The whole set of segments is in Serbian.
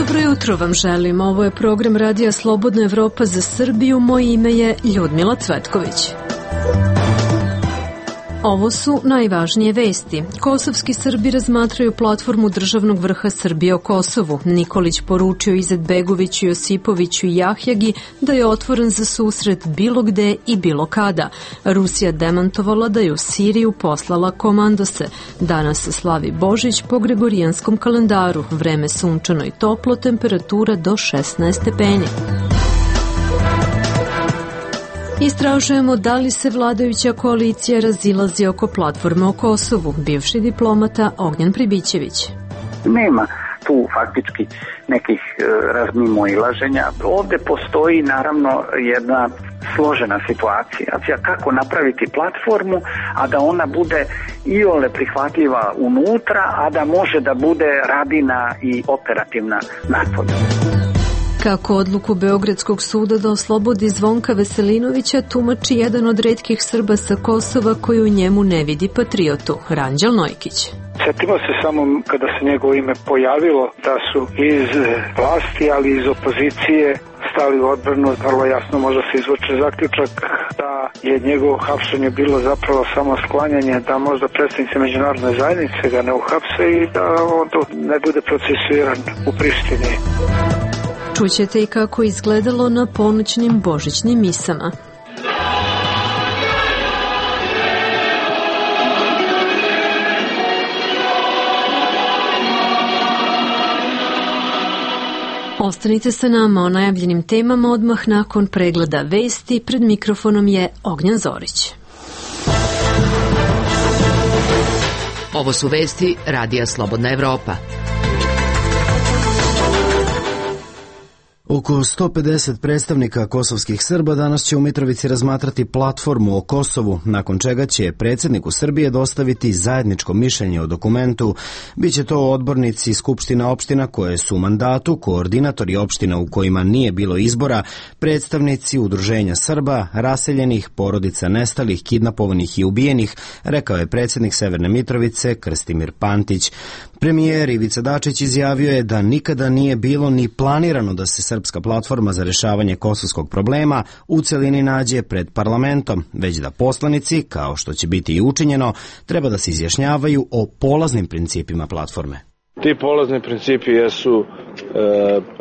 Dobro jutro vam želim. Ovo je program Radija Slobodna Evropa za Srbiju. Moje ime je Ljudmila Cvetković. Ovo su najvažnije vesti. Kosovski Srbi razmatraju platformu državnog vrha Srbije o Kosovu. Nikolić poručio Izetbegoviću, Josipoviću i Jahjagi da je otvoren za susret bilo gde i bilo kada. Rusija demantovala da je u Siriju poslala komandose. Danas se slavi Božić po gregorijanskom kalendaru. Vreme sunčano i toplo, temperatura do 16 stepeni. Istražujemo da li se vladajuća koalicija razilazi oko platforme o Kosovu. Bivši diplomata Ognjen Pribićević. Nema tu faktički nekih razmimoilaženja. Ovde postoji naravno jedna složena situacija. Kako napraviti platformu, a da ona bude iole prihvatljiva unutra, a da može da bude radina i operativna napolju. Kako odluku Beogradskog suda da oslobodi Zvonka Veselinovića tumači jedan od retkih Srba sa Kosova koji u njemu ne vidi patriotu, Ranđel Nojkić. Sjetimo se samo kada se njegovo ime pojavilo da su iz vlasti, ali iz opozicije stali u odbranu. Vrlo jasno može se izvući zaključak da je njegovo hapšenje bilo zapravo samo sklanjanje, da možda predstavnici međunarodne zajednice ga ne uhapse i da on ne bude procesuiran u Prištini. Čućete i kako izgledalo na ponoćnim božićnim misama. Ostanite sa nama o najavljenim temama odmah nakon pregleda vesti. Pred mikrofonom je Ognjen Zorić. Ovo su vesti Radija Slobodna Evropa. Oko 150 predstavnika kosovskih Srba danas će u Mitrovici razmatrati platformu o Kosovu, nakon čega će predsjedniku Srbije dostaviti zajedničko mišljenje o dokumentu. Biće to odbornici skupština opština koje su u mandatu, koordinatori opština u kojima nije bilo izbora, predstavnici udruženja Srba, raseljenih, porodica nestalih, kidnapovanih i ubijenih, rekao je predsjednik Severne Mitrovice Krstimir Pantić. Premijer Ivica Dačić izjavio je da nikada nije bilo ni planirano da se srpska platforma za rešavanje kosovskog problema u celini nađe pred parlamentom, već da poslanici, kao što će biti i učinjeno, treba da se izjašnjavaju o polaznim principima platforme. Ti polazni principi jesu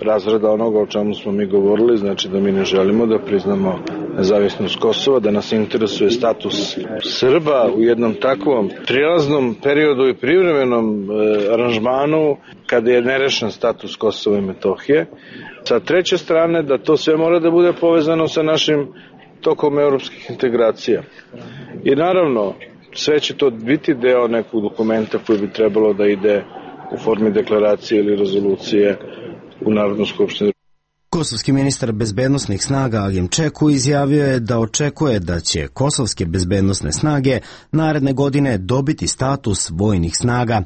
razrada onoga o čemu smo mi govorili, znači da mi ne želimo da priznamo nezavisnost Kosova, da nas interesuje status Srba u jednom takvom prijelaznom periodu i privremenom aranžmanu kada je nerešen status Kosova i Metohije. Sa treće strane da to sve mora da bude povezano sa našim tokom evropskih integracija. I naravno sve će to biti deo nekog dokumenta koji bi trebalo da ide u formi deklaracije ili rezolucije u Narodnu skupštinu. Kosovski ministar bezbednosnih snaga Agim Čeku izjavio je da očekuje da će kosovske bezbednosne snage naredne godine dobiti status vojnih snaga.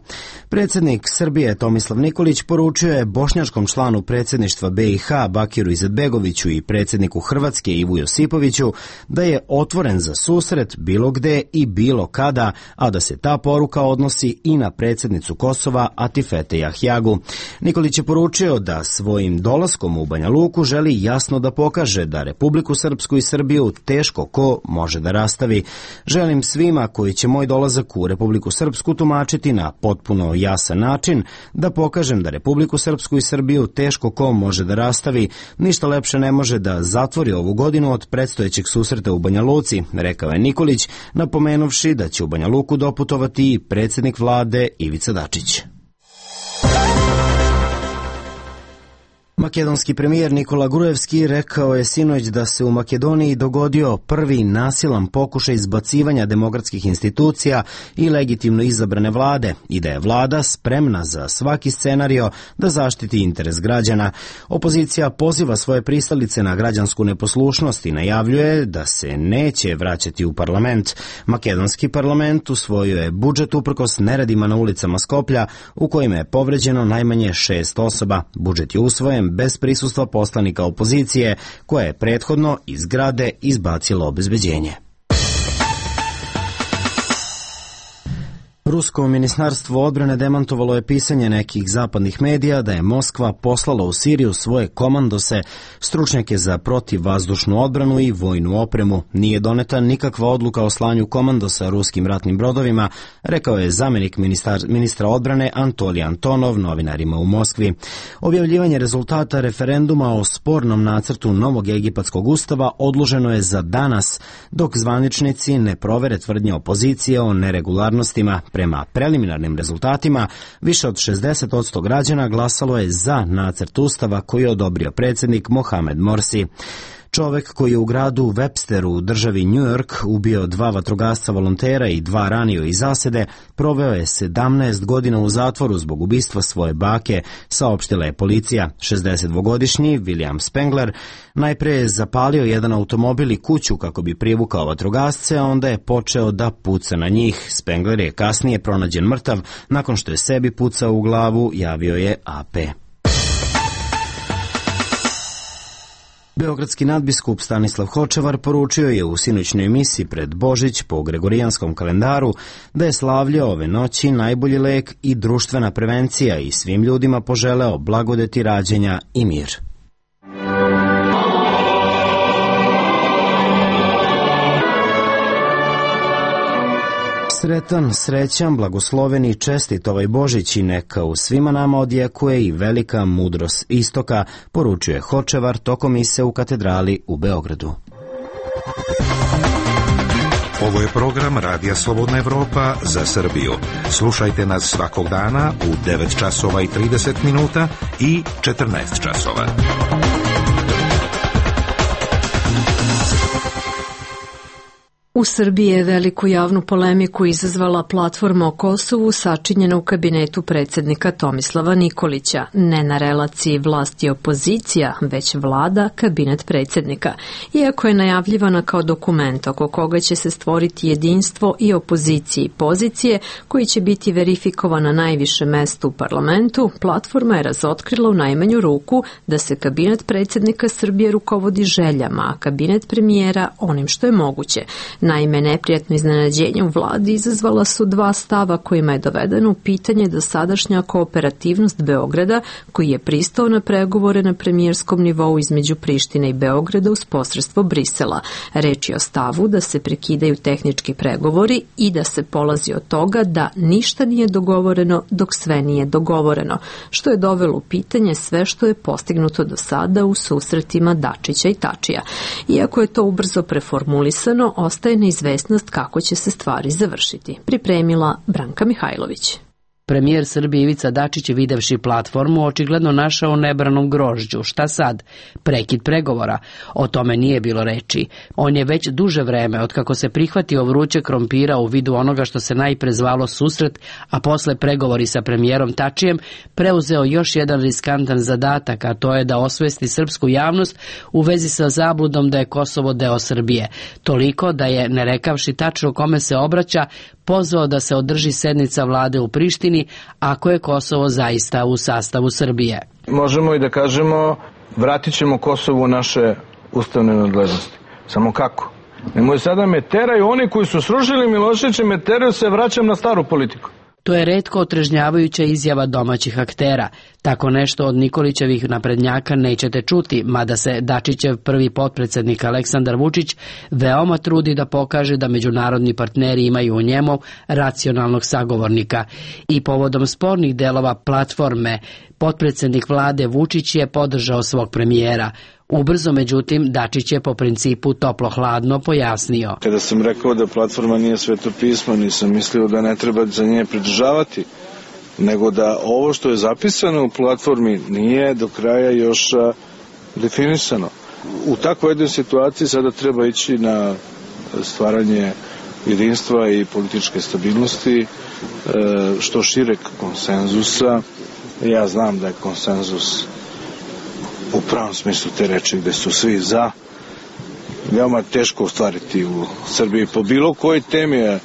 Predsjednik Srbije Tomislav Nikolić poručio je bošnjačkom članu predsjedništva BiH Bakiru Izetbegoviću i predsjedniku Hrvatske Ivu Josipoviću da je otvoren za susret bilo gde i bilo kada, a da se ta poruka odnosi i na predsjednicu Kosova Atifete Jahjagu. Nikolić je poručio da svojim dolaskom u Banja Luku želi jasno da pokaže da Republiku Srpsku i Srbiju teško ko može da rastavi. Želim svima koji će moj dolazak u Republiku Srpsku tumačiti na potpuno jasan način da pokažem da Republiku Srpsku i Srbiju teško ko može da rastavi. Ništa lepše ne može da zatvori ovu godinu od predstojećeg susreta u Banja Luci, rekao je Nikolić, napomenuvši da će u Banja Luku doputovati i predsjednik vlade Ivica Dačić. Makedonski premijer Nikola Grujevski rekao je sinoć da se u Makedoniji dogodio prvi nasilan pokušaj izbacivanja demokratskih institucija i legitimno izabrane vlade i da je vlada spremna za svaki scenario da zaštiti interes građana. Opozicija poziva svoje pristalice na građansku neposlušnost i najavljuje da se neće vraćati u parlament. Makedonski parlament usvojio je budžet uprkos neredima na ulicama Skoplja u kojima je povređeno najmanje 6 osoba. Budžet je usvojen bez prisustva poslanika opozicije, koja je prethodno iz zgrade izbacila obezbeđenje. Rusko ministarstvo odbrane demantovalo je pisanje nekih zapadnih medija da je Moskva poslala u Siriju svoje komandose, stručnjake za protivvazdušnu odbranu i vojnu opremu. Nije doneta nikakva odluka o slanju komandosa ruskim ratnim brodovima, rekao je zamenik ministra odbrane Antolij Antonov novinarima u Moskvi. Objavljivanje rezultata referenduma o spornom nacrtu novog egipatskog ustava odloženo je za danas, dok zvaničnici ne provere tvrdnje opozicije o neregularnostima. Prema preliminarnim rezultatima, više od 60% građana glasalo je za nacrt ustava koji je odobrio predsjednik Mohamed Morsi. Čovek koji je u gradu Websteru u državi New York ubio 2 vatrogasca volontera i 2 ranio iz zasede, proveo je 17 godina u zatvoru zbog ubistva svoje bake, saopštila je policija. 62-godišnji William Spengler najpre je zapalio jedan automobil i kuću kako bi privukao vatrogasce, a onda je počeo da puca na njih. Spengler je kasnije pronađen mrtav nakon što je sebi pucao u glavu, javio je AP. Beogradski nadbiskup Stanislav Hočevar poručio je u sinoćnoj misi pred Božić po gregorijanskom kalendaru da je slavlje ove noći najbolji lek i društvena prevencija i svim ljudima poželeo blagodeti rađenja i mir. Sretan, srećan, blagosloven i čestit ovaj Božić i neka u svima nama odjekuje i velika mudrost istoka, poručuje Hočevar tokom mise u katedrali u Beogradu. Ovo je program Radija Slobodna Evropa za Srbiju. Slušajte nas svakog dana u 9 časova i 30 minuta i 14 časova. U Srbiji je veliku javnu polemiku izazvala platforma o Kosovu sačinjena u kabinetu predsjednika Tomislava Nikolića. Ne na relaciji vlast i opozicija, već vlada, kabinet predsjednika. Iako je najavljivana kao dokument oko koga će se stvoriti jedinstvo i opozicije i pozicije, koji će biti verifikovan na najviše mesto u parlamentu, platforma je razotkrila u najmanju ruku da se kabinet predsjednika Srbije rukovodi željama, a kabinet premijera onim što je moguće. Naime, neprijatno iznenađenje u vladi izazvala su 2 stava kojima je dovedeno u pitanje dosadašnja kooperativnost Beograda, koji je pristao na pregovore na premijerskom nivou između Prištine i Beograda uz posredstvo Brisela. Reč je o stavu da se prekidaju tehnički pregovori i da se polazi od toga da ništa nije dogovoreno dok sve nije dogovoreno, što je dovelo u pitanje sve što je postignuto do sada u susretima Dačića i Tačija. Iako je to ubrzo preformulisano, ostaje neizvesnost kako će se stvari završiti. Pripremila Branka Mihajlović. Premijer Srbije Ivica Dačić je videvši platformu očigledno našao nebranom grožđu. Šta sad? Prekid pregovora. O tome nije bilo reči. On je već duže vreme, otkako se prihvatio vruće krompira u vidu onoga što se najpre zvalo susret, a posle pregovori sa premijerom Tačijem, preuzeo još jedan riskantan zadatak, a to je da osvesti srpsku javnost u vezi sa zabludom da je Kosovo deo Srbije. Toliko da je, ne rekavši tačno kome se obraća, pozvao da se održi sednica vlade u Prištini ako je Kosovo zaista u sastavu Srbije. Možemo i da kažemo vratit ćemo Kosovo u naše ustavne nadležnosti. Samo kako? Nemoj sada me teraju, oni koji su srušili Miloševića me teraju, se vraćam na staru politiku. To je retko otrežnjavajuća izjava domaćih aktera. Tako nešto od Nikolićevih naprednjaka nećete čuti, mada se Dačićev prvi potpredsjednik Aleksandar Vučić veoma trudi da pokaže da međunarodni partneri imaju u njemu racionalnog sagovornika. I povodom spornih delova platforme, potpredsjednik vlade Vučić je podržao svog premijera. Ubrzo, međutim, Dačić je po principu toplo-hladno pojasnio. Kada sam rekao da platforma nije sveto pismo, nisam mislio da ne treba za nje pridržavati, nego da ovo što je zapisano u platformi nije do kraja još definisano. U takvoj jednoj situaciji sada treba ići na stvaranje jedinstva i političke stabilnosti, što šireg konsenzusa. Ja znam da je konsenzus u pravom smislu te reči gde su svi za, veoma teško ostvariti u Srbiji po bilo kojoj temi,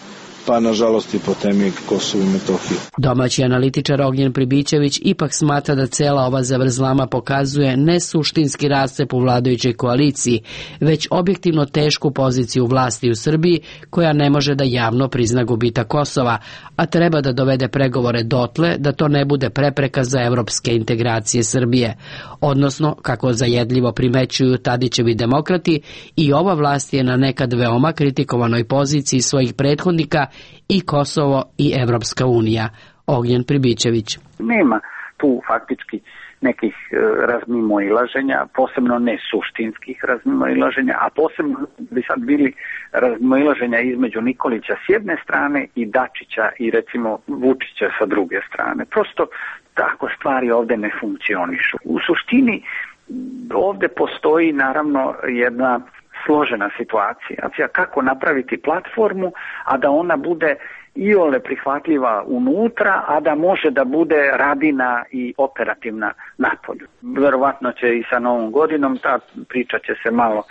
pa nažalost i po temi Kosovo i Metohije. Domaći analitičar Ognjen Pribićević ipak smatra da cela ova zavrzlama pokazuje ne suštinski rascep u vladajućoj koaliciji, već objektivno tešku poziciju vlasti u Srbiji koja ne može da javno prizna gubitak Kosova, a treba da dovede pregovore dotle da to ne bude prepreka za evropske integracije Srbije. Odnosno, kako zajedljivo primećuju Tadićevi demokrati, i ova vlast je na nekad veoma kritikovanoj poziciji svojih prethodnika i Kosovo i Evropska unija. Ognjen Pribićević. Nema tu faktički nekih razmimoilaženja, posebno ne suštinskih razmimoilaženja, a posebno bi sad bili razmimoilaženja između Nikolića s jedne strane i Dačića i recimo Vučića sa druge strane. Prosto tako stvari ovde ne funkcionišu. U suštini ovde postoji naravno jedna složena situacija kako napraviti platformu, a da ona bude iole prihvatljiva unutra, a da može da bude radina i operativna napolju. Verovatno će i sa Novom godinom ta priča će se malo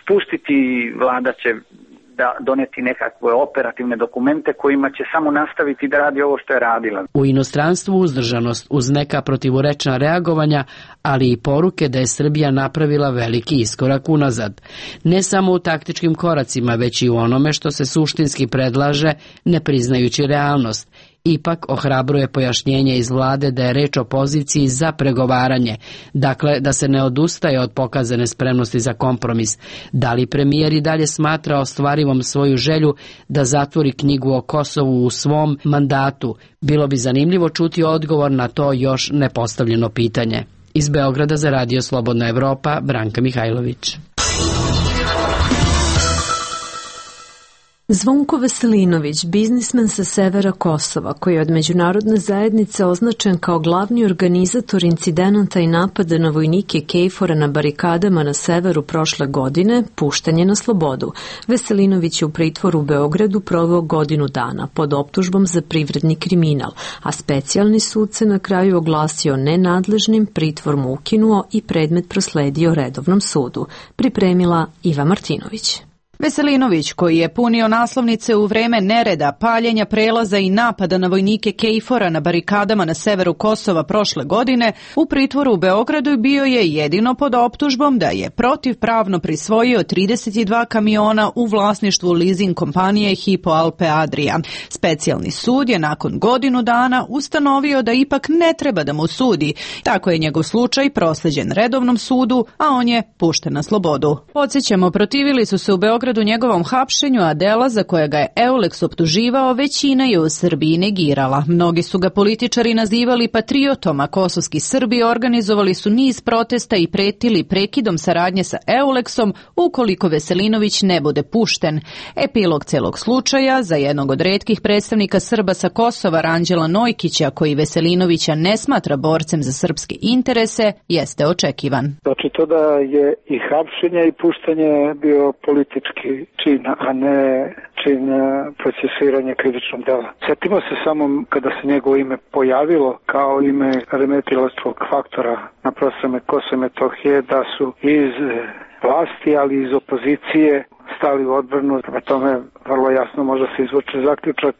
spustiti i vlada će doneti nekakve operativne dokumente kojima će samo nastaviti da radi ovo što je radila. U inostranstvu uzdržanost uz neka protivurečna reagovanja, ali i poruke da je Srbija napravila veliki iskorak unazad. Ne samo u taktičkim koracima, već i u onome što se suštinski predlaže, ne priznajući realnost. Ipak ohrabruje pojašnjenje iz vlade da je reč o poziciji za pregovaranje, dakle da se ne odustaje od pokazane spremnosti za kompromis. Da li premijer i dalje smatra ostvarivom svoju želju da zatvori knjigu o Kosovu u svom mandatu? Bilo bi zanimljivo čuti odgovor na to još nepostavljeno pitanje. Iz Beograda za Radio Slobodna Evropa, Branka Mihajlović. Zvonko Veselinović, biznismen sa severa Kosova, koji je od međunarodne zajednice označen kao glavni organizator incidenata i napada na vojnike KFOR-a na barikadama na severu prošle godine, pušten je na slobodu. Veselinović je u pritvoru u Beogradu proveo godinu dana pod optužbom za privredni kriminal, a specijalni sud se na kraju oglasio nenadležnim, pritvor mu ukinuo i predmet prosledio redovnom sudu. Pripremila Iva Martinović. Veselinović, koji je punio naslovnice u vreme nereda, paljenja prelaza i napada na vojnike KFOR-a na barikadama na severu Kosova prošle godine, u pritvoru u Beogradu bio je jedino pod optužbom da je protivpravno prisvojio 32 kamiona u vlasništvu leasing kompanije Hypo Alpe Adria. Specijalni sud je nakon godinu dana ustanovio da ipak ne treba da mu sudi. Tako je njegov slučaj prosleđen redovnom sudu, a on je pušten na slobodu. Podsjećamo, protivili su se u Beogradu njegovom hapšenju, a dela za koja ga je Eulex optuživao većina je u Srbiji negirala. Mnogi su ga političari nazivali patriotom, a kosovski Srbi organizovali su niz protesta i pretili prekidom saradnje sa Eulexom ukoliko Veselinović ne bude pušten. Epilog celog slučaja za jednog od retkih predstavnika Srba sa Kosova, Ranđela Nojkića, koji Veselinovića ne smatra borcem za srpske interese, jeste očekivan. Znači to da je i hapšenje i puštanje bio politički čin, a ne čin procesuiranja krivičnog dela. Sjetimo se samo kada se njegovo ime pojavilo kao ime remetilačkog faktora na prostorima Kosova i Metohije, da su iz vlasti, ali iz opozicije stali u odbranu. Prema tome vrlo jasno može se izvući zaključak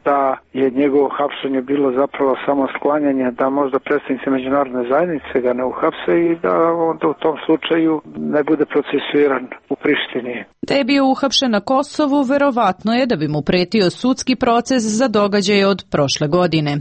da je njegovo hapšenje bilo zapravo samo sklanjanje, da možda predstavnici međunarodne zajednice ga ne uhapse i da onda u tom slučaju ne bude procesuiran u Prištini. Da je bio uhapšen na Kosovu, verovatno je da bi mu pretio sudski proces za događaje od prošle godine.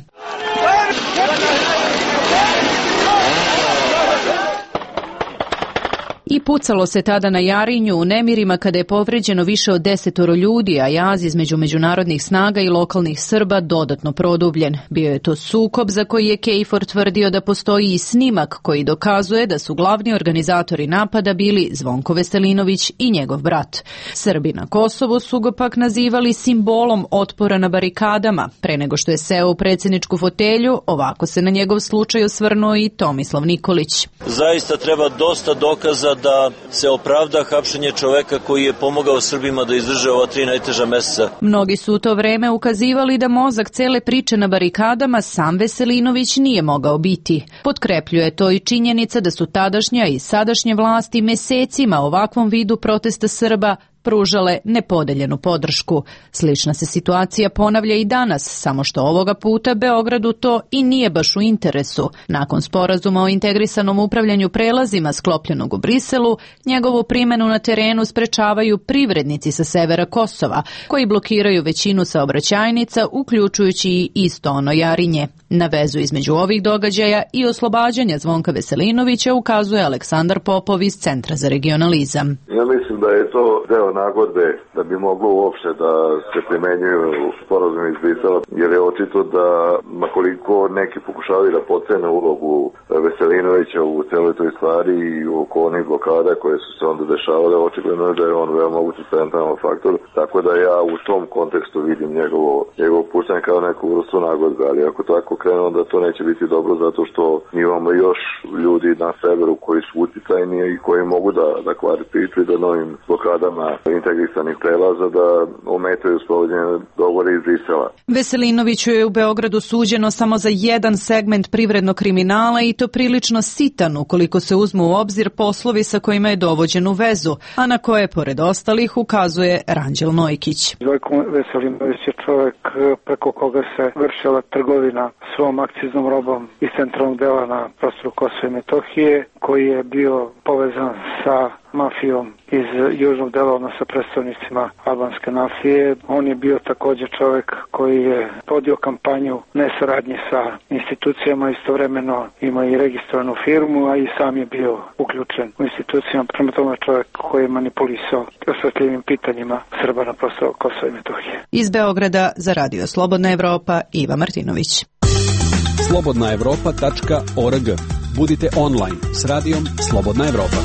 I pucalo se tada na Jarinju u nemirima kada je povređeno više od 10 ljudi, a jaz između međunarodnih snaga i lokalnih Srba dodatno produbljen. Bio je to sukob za koji je KFOR tvrdio da postoji i snimak koji dokazuje da su glavni organizatori napada bili Zvonko Veselinović i njegov brat. Srbi na Kosovu su ga pak nazivali simbolom otpora na barikadama. Pre nego što je seo u predsjedničku fotelju, ovako se na njegov slučaj osvrnuo i Tomislav Nikolić. Zaista treba dosta dokaza da se opravda hapšenje čoveka koji je pomogao Srbima da izdrže ova 3 najteža meseca. Mnogi su u to vreme ukazivali da mozak cele priče na barikadama sam Veselinović nije mogao biti. Potkrepljuje to i činjenica da su tadašnja i sadašnje vlasti mesecima ovakvom vidu protesta Srba pružale nepodeljenu podršku. Slična se situacija ponavlja i danas, samo što ovoga puta Beogradu to i nije baš u interesu. Nakon sporazuma o integrisanom upravljanju prelazima sklopljenog u Briselu, njegovu primjenu na terenu sprečavaju privrednici sa severa Kosova, koji blokiraju većinu saobraćajnica, uključujući i isto ono Jarinje. Na vezu između ovih događaja i oslobađanja Zvonka Veselinovića ukazuje Aleksandar Popov iz Centra za regionalizam. Ja mislim da je to deo nagodbe da bi moglo uopšte da se primenjuju sporazum iz Brisela, jer je očito da makoliko neki pokušavaju da potcene ulogu Veselinovića u celoj toj stvari i oko onih blokada koje su se onda dešavale, očigledno je da je on veoma mogući centralan faktor, tako da ja u tom kontekstu vidim njegovo puštanje kao neku vrstu nagodbe, ali ako tako krenu, onda to neće biti dobro zato što mi imamo još ljudi na severu koji su uticajni i koji mogu da kvare priču i da novim blokadama integrisanih prelaza da ometaju sprovođenje dogovora iz Brisela. Veselinoviću je u Beogradu suđeno samo za jedan segment privrednog kriminala i to prilično sitan ukoliko se uzmu u obzir poslovi sa kojima je dovođen u vezu, a na koje pored ostalih ukazuje Ranđel Nojkić. Vojko Veselinović je čovjek preko koga se vršila trgovina svom akciznom robom iz centralnog dela na prostoru Kosova i Metohije, koji je bio povezan sa mafijom iz južnog dela, odnosno predstavnicima albanske mafije. On je bio također čovjek koji je vodio kampanju nesaradnje sa institucijama, istovremeno ima i registrovanu firmu, a i sam je bio uključen u institucijama. Prema tome čovjek koji je manipulisao osjetljivim pitanjima Srba na prostoru Kosova i Metohije. Iz Beograda za Radio Slobodna Evropa, Iva Martinović. slobodnaevropa.org. Budite online s radijom Slobodna Evropa.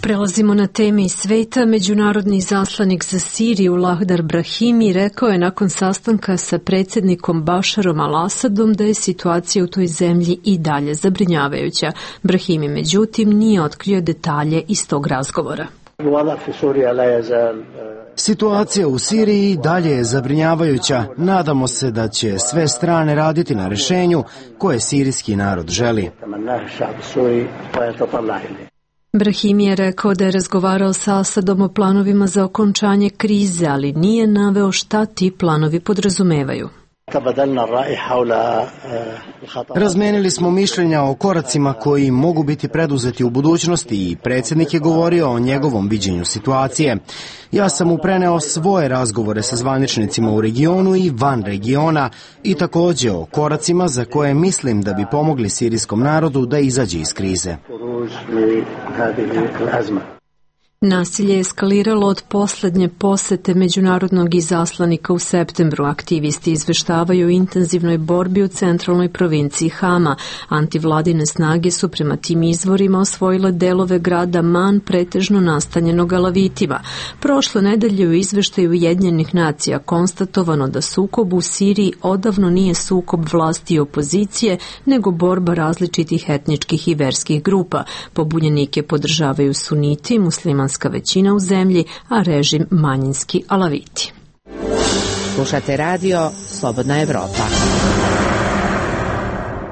Prelazimo na teme iz sveta. Međunarodni izaslanik za Siriju Lahdar Brahimi rekao je nakon sastanka sa predsjednikom Bašarom al-Asadom da je situacija u toj zemlji i dalje zabrinjavajuća. Brahimi međutim nije otkrio detalje iz tog razgovora. Situacija u Siriji dalje je zabrinjavajuća. Nadamo se da će sve strane raditi na rješenju koje sirijski narod želi. Brahimi je rekao da je razgovarao sa Asadom o planovima za okončanje krize, ali nije naveo šta ti planovi podrazumevaju. Razmenili smo mišljenja o koracima koji mogu biti preduzeti u budućnosti i predsjednik je govorio o njegovom viđenju situacije. Ja sam mu preneo svoje razgovore sa zvaničnicima u regionu i van regiona i također o koracima za koje mislim da bi pomogli sirijskom narodu da izađe iz krize. Nasilje je eskaliralo od posljednje posete međunarodnog izaslanika u septembru. Aktivisti izveštavaju o intenzivnoj borbi u centralnoj provinciji Hama. Antivladine snage su prema tim izvorima osvojile delove grada Man, pretežno nastanjenog Alavitima. Prošle nedelje u izveštaju Ujedinjenih nacija konstatovano da sukob u Siriji odavno nije sukob vlasti i opozicije, nego borba različitih etničkih i verskih grupa. Pobunjenike podržavaju suniti, muslimanska većina u zemlji, a režim manjinski Alaviti. Slušate radio Slobodna Evropa.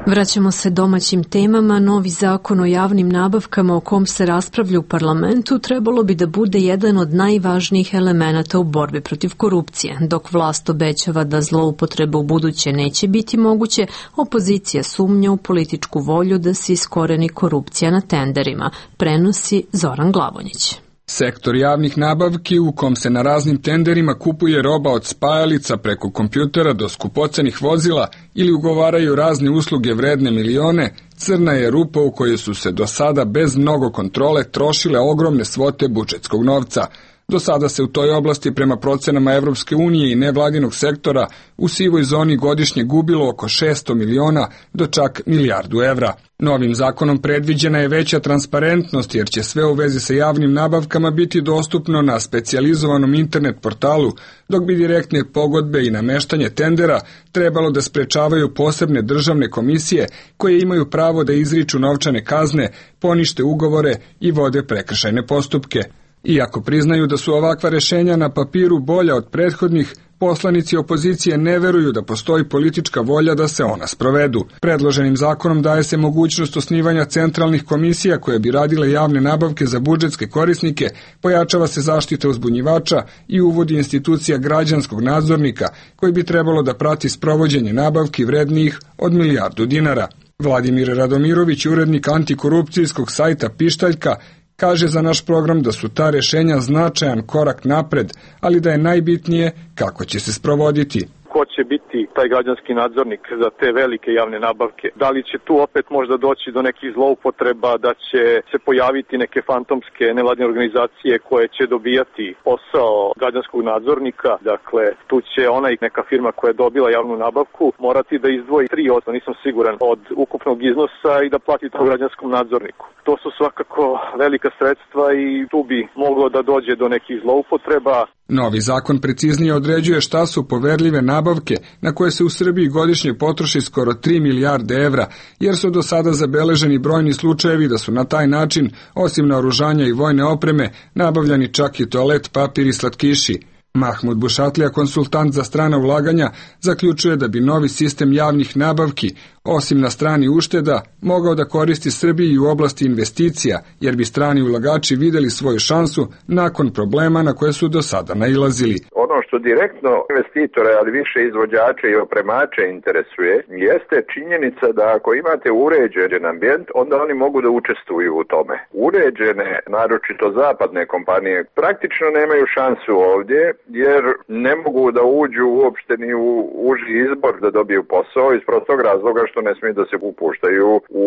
Vraćamo se domaćim temama. Novi zakon o javnim nabavkama o kom se raspravlja u parlamentu trebalo bi da bude jedan od najvažnijih elemenata u borbi protiv korupcije. Dok vlast obećava da zloupotrebe u buduće neće biti moguće, opozicija sumnja u političku volju da se iskoreni korupcija na tenderima, prenosi Zoran Glavonjić. Sektor javnih nabavki u kom se na raznim tenderima kupuje roba od spajalica preko kompjutera do skupocenih vozila ili ugovaraju razne usluge vredne milione, crna je rupa u kojoj su se do sada bez mnogo kontrole trošile ogromne svote budžetskog novca. Do sada se u toj oblasti prema procenama Evropske unije i nevladinog sektora u sivoj zoni godišnje gubilo oko 600 miliona do čak milijardu evra. Novim zakonom predviđena je veća transparentnost jer će sve u vezi sa javnim nabavkama biti dostupno na specijalizovanom internet portalu, dok bi direktne pogodbe i nameštanje tendera trebalo da sprečavaju posebne državne komisije koje imaju pravo da izriču novčane kazne, ponište ugovore i vode prekršajne postupke. Iako priznaju da su ovakva rješenja na papiru bolja od prethodnih, poslanici opozicije ne veruju da postoji politička volja da se ona sprovedu. Predloženim zakonom daje se mogućnost osnivanja centralnih komisija koje bi radile javne nabavke za budžetske korisnike, pojačava se zaštita uzbunjivača i uvodi institucija građanskog nadzornika koji bi trebalo da prati sprovođenje nabavki vrednijih od milijardu dinara. Vladimir Radomirović, urednik antikorupcijskog sajta Pištaljka, kaže za naš program da su ta rešenja značajan korak napred, ali da je najbitnije kako će se sprovoditi. Ko će biti taj građanski nadzornik za te velike javne nabavke? Da li će tu opet možda doći do nekih zloupotreba, da će se pojaviti neke fantomske nevladine organizacije koje će dobijati posao građanskog nadzornika? Dakle, tu će neka firma koja je dobila javnu nabavku morati da izdvoji 3%, nisam siguran, od ukupnog iznosa i da plati to građanskom nadzorniku. To su svakako velika sredstva i tu bi moglo da dođe do nekih zloupotreba. Novi zakon preciznije određuje šta su poverljive nabavke na koje se u Srbiji godišnje potroši skoro 3 milijarde evra, jer su do sada zabeleženi brojni slučajevi da su na taj način, osim naoružanja i vojne opreme, nabavljani čak i toalet papir i slatkiši. Mahmud Bušatlija, konsultant za strana ulaganja, zaključuje da bi novi sistem javnih nabavki, osim na strani ušteda, mogao da koristi Srbiji u oblasti investicija, jer bi strani ulagači videli svoju šansu nakon problema na koje su do sada nailazili. Ono što direktno investitore, ali više izvođače i opremače interesuje, jeste činjenica da ako imate uređen ambijent, onda oni mogu da učestvuju u tome. Uređene, naročito zapadne kompanije, praktično nemaju šansu ovdje, jer ne mogu da uđu uopšte ni u uži izbor da dobiju posao iz prostog razloga što ne smiju da se upuštaju u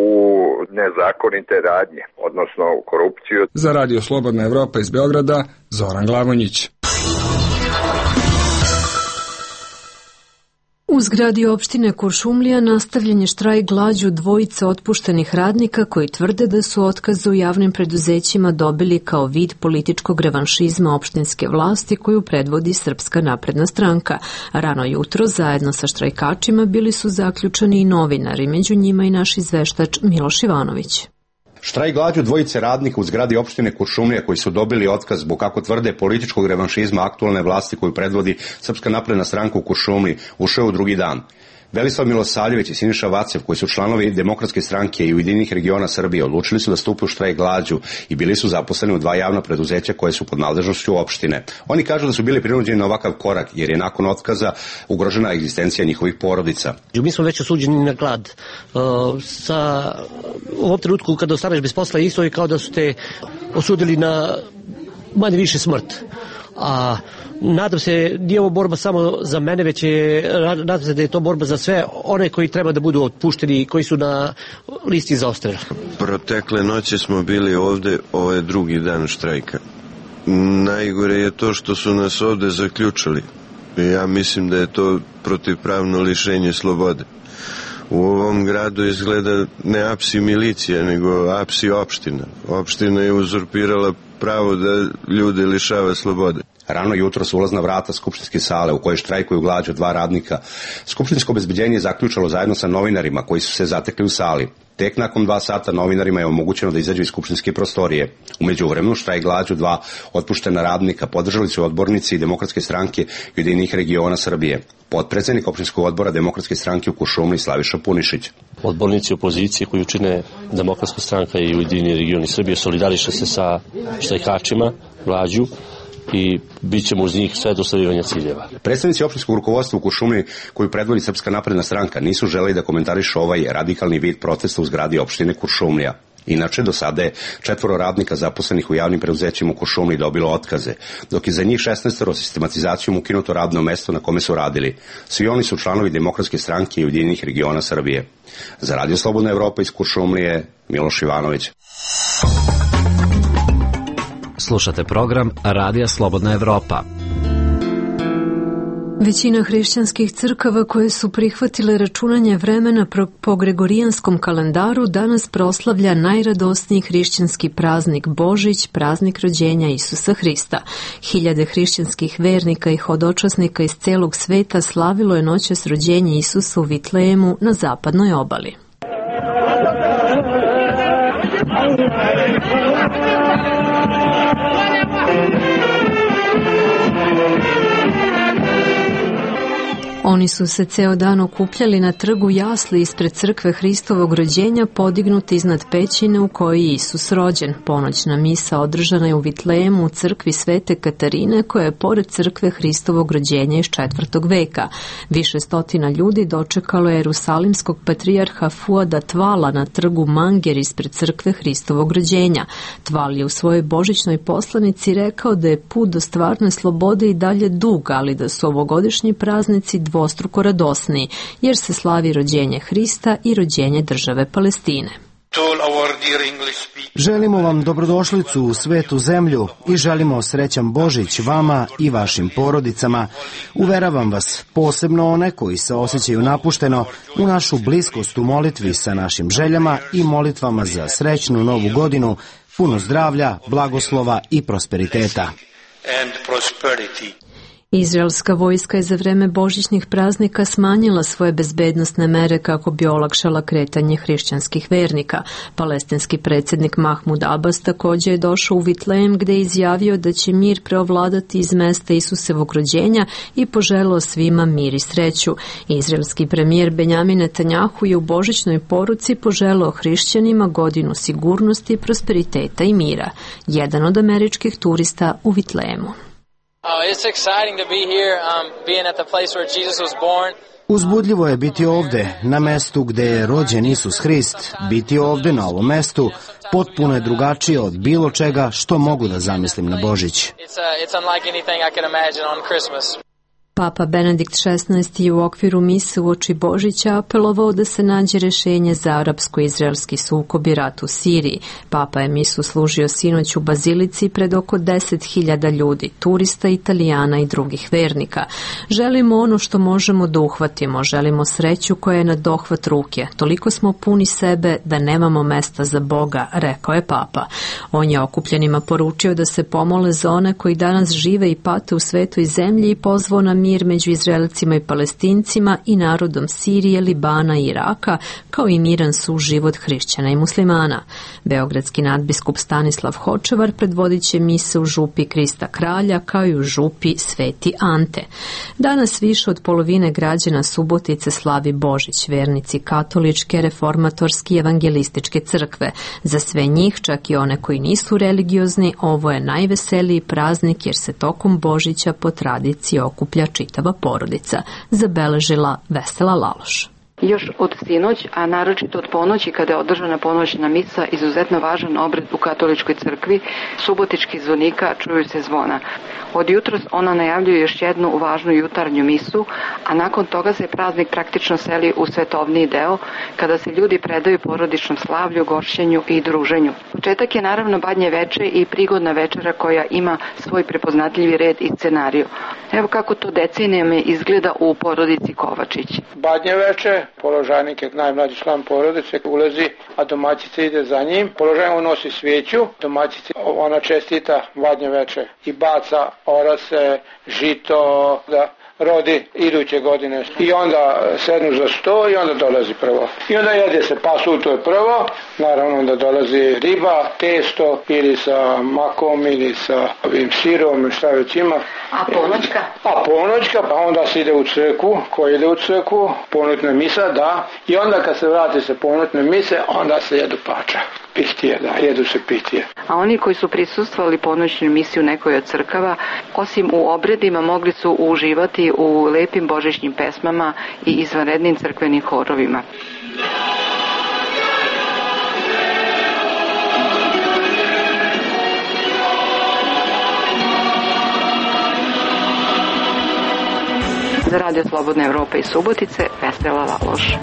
nezakonite radnje, odnosno u korupciju. Za Radio Slobodna Evropa iz Beograda, Zoran Glavonjić. U zgradi opštine Kuršumlija nastavljen je štrajk glađu dvojice otpuštenih radnika koji tvrde da su otkaze u javnim preduzećima dobili kao vid političkog revanšizma opštinske vlasti koju predvodi Srpska napredna stranka. Rano jutro zajedno sa štrajkačima bili su zaključani i novinari, među njima i naš izveštač Miloš Ivanović. Štrajk glađu dvojice radnika u zgradi opštine Kuršumlija koji su dobili otkaz zbog, kako tvrde, političkog revanšizma aktualne vlasti koju predvodi Srpska napredna stranka u Kuršumliji ušao u drugi dan. Velislav Milosavljević i Siniša Vacev, koji su članovi Demokratske stranke i Ujedinjenih regiona Srbije, odlučili su da stupe u štrajk glađu i bili su zaposleni u dva javna preduzeća koje su pod nadležnošću opštine. Oni kažu da su bili prinuđeni na ovakav korak jer je nakon otkaza ugrožena egzistencija njihovih porodica. Mi smo već osuđeni na glad. U ovom trenutku kada ostaneš bez posla isto je kao da su te osudili na manje više smrt. A nadam se, nije ovo borba samo za mene, već nadam se da je to borba za sve one koji treba da budu otpušteni i koji su na listi za odstrel. Protekle noći smo bili ovde, ovo je drugi dan štrajka. Najgore je to što su nas ovde zaključali. Ja mislim da je to protivpravno lišenje slobode. U ovom gradu izgleda ne apsi milicija, nego apsi opština. Opština je uzurpirala pravo da ljude lišava slobode. Rano jutro su ulazna vrata skupštinske sale u kojoj štrajkuju glađu dva radnika. Skupštinsko obezbeđenje je zaključalo zajedno sa novinarima koji su se zatekli u sali. Tek nakon 2 sata novinarima je omogućeno da izađu iz skupštinske prostorije. U međuvremenu štrajk glađu dva otpuštena radnika podržali su odbornici Demokratske stranke i Ujedinjenih regiona Srbije. Potpredsednik opštinskog odbora Demokratske stranke u Kuršumliji Slaviša Punišić. Odbornici opozicije koji čine Demokratska stranka i Ujedinjeni regioni Srbije solidariše se sa štrajkačima glađu i bit ćemo uz njih sve do ostvarivanja ciljeva. Predstavnici opštinskog rukovodstva u Kuršumliji koju predvodi Srpska napredna stranka nisu želeli da komentarišu ovaj radikalni vid protesta u zgradi opštine Kuršumlija. Inače, do sada je 4 radnika zaposlenih u javnim preduzećima u Kuršumliji dobilo otkaze, dok je za njih 16 sistematizacijom ukinuto radno mesto na kome su radili. Svi oni su članovi Demokratske stranke i Ujedinjenih regiona Srbije. Za Radio Slobodna Evropa iz Kuršumlije, Miloš Ivanović. Slušate program Radija Slobodna Evropa. Većina hrišćanskih crkava koje su prihvatile računanje vremena po gregorijanskom kalendaru danas proslavlja najradosniji hrišćanski praznik Božić, praznik rođenja Isusa Hrista. Hiljade hrišćanskih vernika i hodočasnika iz celog sveta slavilo je noćas rođenje Isusa u Vitlejemu na zapadnoj obali. Oni su se ceo dan okupljali na trgu jasli ispred crkve Hristovog rođenja podignuti iznad pećine u kojoj je Isus rođen. Ponoćna misa održana je u Vitlejemu u crkvi Svete Katarine koja je pored crkve Hristovog rođenja iz 4. veka. Više stotina ljudi dočekalo je jerusalimskog patrijarha Fuada Tvala na trgu Manger ispred crkve Hristovog rođenja. Tval je u svojoj božićnoj poslanici rekao da je put do stvarne slobode i dalje dug, ali da su ovogodišnji praznici dvostruko radosniji, jer se slavi rođenje Hrista i rođenje države Palestine. Želimo vam dobrodošlicu u svetu zemlju i želimo srećan Božić vama i vašim porodicama. Uveravam vas, posebno one koji se osjećaju napušteno, u našu bliskost u molitvi sa našim željama i molitvama za srećnu novu godinu, puno zdravlja, blagoslova i prosperiteta. Izraelska vojska je za vreme božićnih praznika smanjila svoje bezbednosne mere kako bi olakšala kretanje hrišćanskih vernika. Palestinski predsjednik Mahmud Abbas također je došao u Vitlejem gdje je izjavio da će mir preovladati iz mesta Isusevog rođenja i poželeo svima mir i sreću. Izraelski premijer Benjamin Netanjahu je u božićnoj poruci poželeo hrišćanima godinu sigurnosti, prosperiteta i mira. Jedan od američkih turista u Vitlejemu. It's exciting to be here, being at the place where Jesus was born. Uzbudljivo je biti ovde, na mestu gde je rođen Isus Hrist. Biti ovde na ovom mestu potpuno je drugačije od bilo čega što mogu da zamislim na Božić. It's unlike anything I can imagine on Christmas. Papa Benedikt XVI je u okviru mise uoči Božića apelovao da se nađe rešenje za arapsko-izraelski sukob i rat u Siriji. Papa je misu služio sinoć u bazilici pred oko 10.000 ljudi, turista, Italijana i drugih vernika. Želimo ono što možemo da uhvatimo, želimo sreću koja je na dohvat ruke. Toliko smo puni sebe da nemamo mesta za Boga, rekao je Papa. On je okupljenima poručio da se pomole za one koji danas žive i pate u svetoj zemlji i pozvao na mir među Izraelcima i Palestincima i narodom Sirije, Libana i Iraka, kao i miran suživot hrišćana i muslimana. Beogradski nadbiskup Stanislav Hočevar predvodit će mise u župi Krista Kralja, kao i u župi Sveti Ante. Danas više od polovine građana Subotice slavi Božić, vernici katoličke, reformatorske i evangelističke crkve. Za sve njih, čak i one koji nisu religiozni, ovo je najveseliji praznik jer se tokom Božića po tradiciji okuplja čitava porodica, zabeležila Vesela Laloš. Još od sinoć, a naročito od ponoći kada je održana ponoćna misa, izuzetno važan obred u katoličkoj crkvi, subotičkih zvonika čuju se zvona. Od jutros ona najavljuje još jednu važnu jutarnju misu, a nakon toga se praznik praktično seli u svetovni deo, kada se ljudi predaju porodičnom slavlju, gošćenju i druženju. Početak je naravno Badnje veče i prigodna večera koja ima svoj prepoznatljivi red i scenariju. Evo kako to decenijama izgleda u porodici Kovačić. Badnje veče, položajnik je najmlađi član porodice, ulazi, a domaćica ide za njim. Položajnik nosi svijeću, domaćica ona čestita Badnje veče i baca orase, žito, da rodi iduće godine. I onda sednu za sto i onda dolazi prvo. I onda jede se pasulj, to je prvo. Naravno onda dolazi riba, testo ili sa makom ili sa ovim sirom, šta već ima. A ponoćka? A ponoćka, pa onda se ide u crkvu. Ko ide u crkvu? Ponoćna misa, da. I onda kad se vrati se ponoćne mise, onda se jedu pača. Pihtije, da, jedu se pihtije. A oni koji su prisustvovali ponoćnoj misi u nekoj od crkava, osim u obredima, mogli su uživati u lepim božićnim pesmama i izvanrednim crkvenim horovima. Za Radio Slobodna Evropa iz Subotice, Vesela Laloš.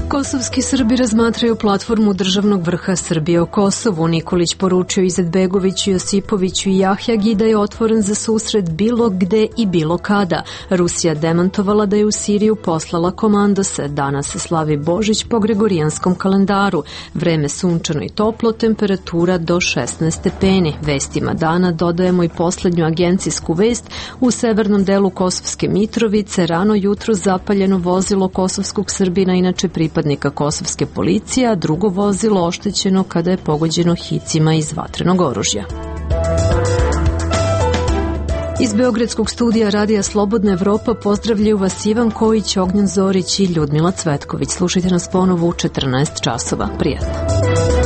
Kosovski Srbi razmatraju platformu državnog vrha Srbije o Kosovu. Nikolić poručio Izetbegoviću, Josipoviću i Jahjagi da je otvoren za susret bilo gde i bilo kada. Rusija demantovala da je u Siriju poslala komandose. Danas se slavi Božić po gregorijanskom kalendaru. Vreme sunčano i toplo, temperatura do 16 stepeni. Vestima dana dodajemo i poslednju agencijsku vest. U severnom delu Kosovske Mitrovice rano jutro zapaljeno vozilo kosovskog Srbina, inače pripadnika kosovske policije, a drugo vozilo oštećeno kada je pogođeno hicima iz vatrenog oružja. Iz Beogradskog studija Radija Slobodna Evropa pozdravljaju vas Ivan Kojić, Ognjen Zorić i Ljudmila Cvetković. Slušajte nas ponovo u 14 časova. Prijatno.